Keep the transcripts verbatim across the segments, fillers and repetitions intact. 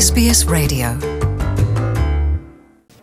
Ес Би Ес Radio.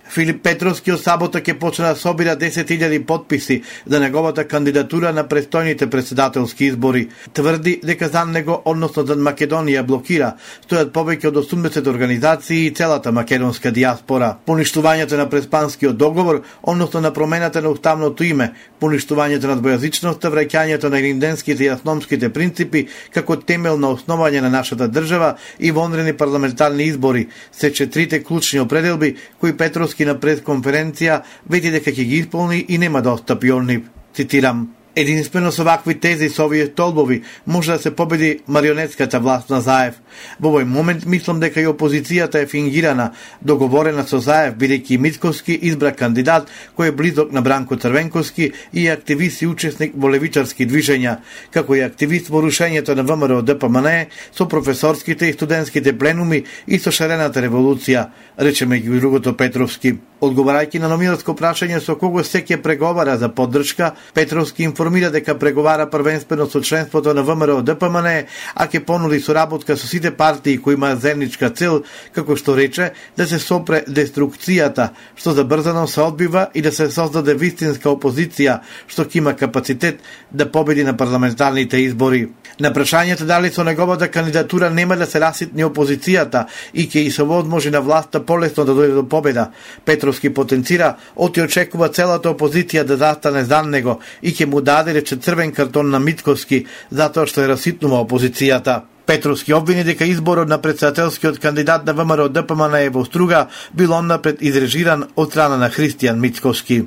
Филип Петровски од сабота ќе почне да собира десет илјади потписи за неговата кандидатура на престојните председателски избори. Тврди дека за него, односно за Македонија, блокира стојат повеќе од осумдесет организации и целата македонска дијаспора. Поништувањето на преспанскиот договор, односно на промената на уставното име, поништувањето на двојазичноста, враќањето на иринденските и асономските принципи како темел на основање на нашата држава и вонредни парламентарни избори се четирите клучни определби кои Петровски на пресконференција вети дека ќе ги исполни и нема да отстапи од нив. Цитирам: единствено со вакви тези, со овие столбови, може да се победи марионетската власт на Заев. Во овој момент мислам дека и опозицијата е фингирана, договорена со Заев, бидејќи Мицковски избра кандидат кој е близок на Бранко Црвенковски и е активист и учесник во левичарски движења, како и активист во рушењето на ВМРО Д П М Н со професорските и студентските пленуми и со шарената револуција, рече меѓу другото Петровски. Одговарајќи на новинарско прашање со кого се ќе преговара за поддршка, Петровски информира дека преговара првенствено со членството на ВМРО Д П М Н, а ќе понуди соработка со сите партии кои имаат заедничка цел, како што рече, да се сопре деструкцијата, што забрзано се одбива, и да се создаде вистинска опозиција, што ќе има капацитет да победи на парламентарните избори. На прашањето дали со неговата кандидатура нема да се раситни опозицијата и ќе и се возможи на власта полесно да дојде до победа, Петровски потенцира оти очекува целата опозиција да застане за него и ќе му даде рече црвен картон на Мицковски затоа што е раситнува опозицијата. Петровски обвини дека изборот на председателскиот кандидат на ВМРО Д П М Н е во Струга бил оннапред изрежиран од страна на Христијан Мицковски.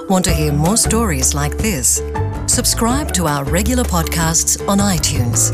Want to hear more stories like this? Subscribe to our regular podcasts on iTunes.